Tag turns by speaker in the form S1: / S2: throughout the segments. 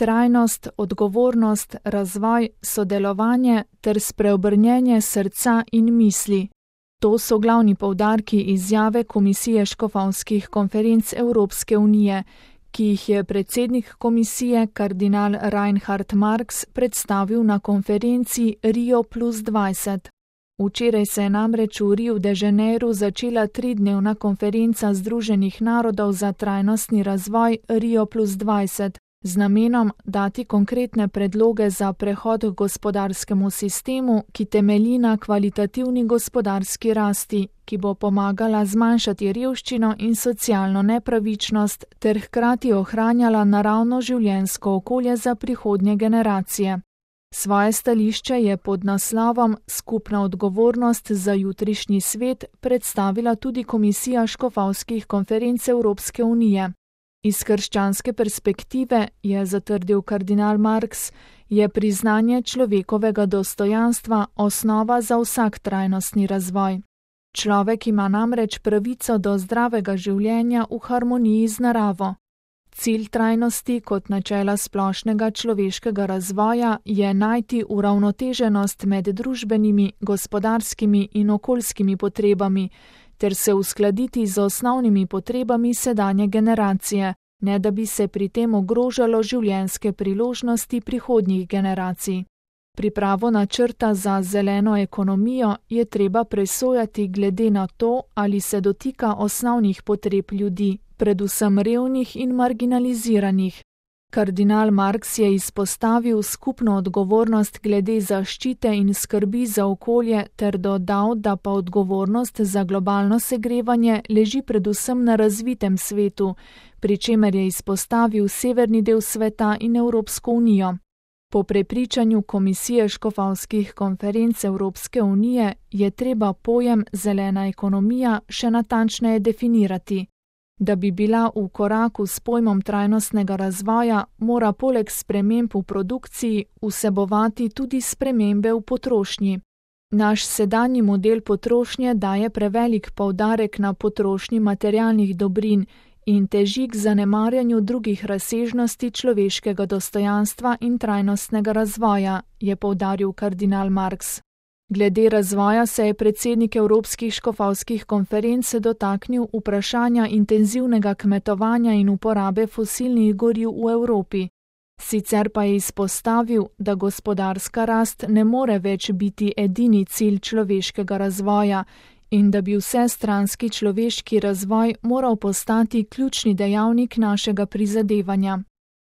S1: trajnost, odgovornost, razvoj, sodelovanje ter spreobrnjenje srca in misli. To so glavni poudarki izjave Komisije škofovskih konferenc Evropske unije, ki jih je predsednik komisije kardinal Reinhard Marx predstavil na konferenci Rio+20. Včeraj se je namreč v Riu de Janeiru začela 3-dnevna konferenca Združenih narodov za trajnostni razvoj Rio+20 z namenom dati konkretne predloge za prehod k gospodarskemu sistemu, ki temelji na kvalitativni gospodarski rasti, ki bo pomagala zmanjšati revščino in socialno nepravičnost ter hkrati ohranjala naravno življenjsko okolje za prihodnje generacije. Svoje stališče je pod naslovom Skupna odgovornost za jutrišnji svet predstavila tudi Komisija škofovskih konferenc Evropske unije. Iz krščanske perspektive, je zatrdil kardinal Marx, je priznanje človekovega dostojanstva osnova za vsak trajnostni razvoj. Človek ima namreč pravico do zdravega življenja v harmoniji z naravo. Cilj trajnosti kot načela splošnega človeškega razvoja je najti uravnoteženost med družbenimi, gospodarskimi in okoljskimi potrebami, ter se uskladiti z osnovnimi potrebami sedanje generacije, ne da bi se pri tem ogrožalo življenjske priložnosti prihodnjih generacij. Pripravo načrta za zeleno ekonomijo je treba presojati glede na to, ali se dotika osnovnih potreb ljudi, predvsem revnih in marginaliziranih. Kardinal Marx je izpostavil skupno odgovornost glede zaščite in skrbi za okolje ter dodal, da pa odgovornost za globalno segrevanje leži predvsem na razvitem svetu, pri čemer je izpostavil severni del sveta in Evropsko unijo. Po prepričanju Komisije škofovskih konferenc Evropske unije je treba pojem zelena ekonomija še natančneje definirati. Da bi bila v koraku s pojmom trajnostnega razvoja, mora poleg sprememb v produkciji vsebovati tudi spremembe v potrošnji. Naš sedanji model potrošnje daje prevelik poudarek na potrošnji materialnih dobrin in teži k zanemarjanju drugih razsežnosti človeškega dostojanstva in trajnostnega razvoja, je poudaril kardinal Marx. Glede razvoja se je predsednik Evropskih škofovskih konferenc dotaknil vprašanja intenzivnega kmetovanja in uporabe fosilnih goriv v Evropi. Sicer pa je izpostavil, da gospodarska rast ne more več biti edini cilj človeškega razvoja in da bi vsestranski človeški razvoj moral postati ključni dejavnik našega prizadevanja.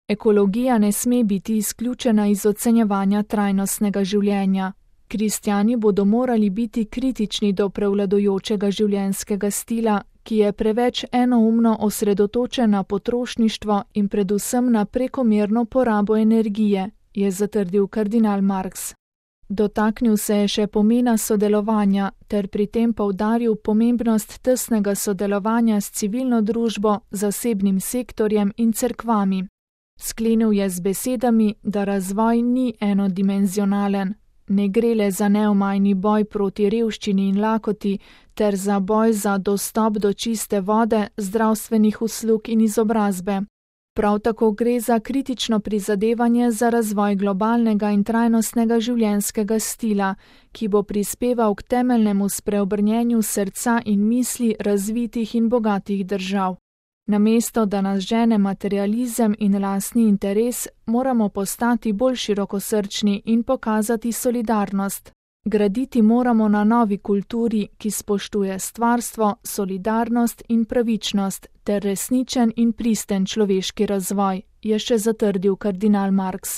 S1: Ekologija ne sme biti izključena iz ocenjevanja trajnostnega življenja. Kristjani bodo morali biti kritični do prevladujočega življenjskega stila, ki je preveč enoumno osredotočen na potrošništvo in predvsem na prekomerno porabo energije, je zatrdil kardinal Marx. Dotaknil se je še pomena sodelovanja ter pri tem poudaril pomembnost tesnega sodelovanja s civilno družbo, zasebnim sektorjem in cerkvami. Sklenil je z besedami, da razvoj ni enodimenzionalen. Ne gre le za neomajni boj proti revščini in lakoti, ter za boj za dostop do čiste vode, zdravstvenih uslug in izobrazbe. Prav tako gre za kritično prizadevanje za razvoj globalnega in trajnostnega življenjskega stila, ki bo prispeval k temeljnemu spreobrnjenju srca in misli razvitih in bogatih držav. Namesto da nas žene materializem in lastni interes, moramo postati bolj širokosrčni in pokazati solidarnost. Graditi moramo na novi kulturi, ki spoštuje stvarstvo, solidarnost in pravičnost ter resničen in pristen človeški razvoj, je še zatrdil kardinal Marx.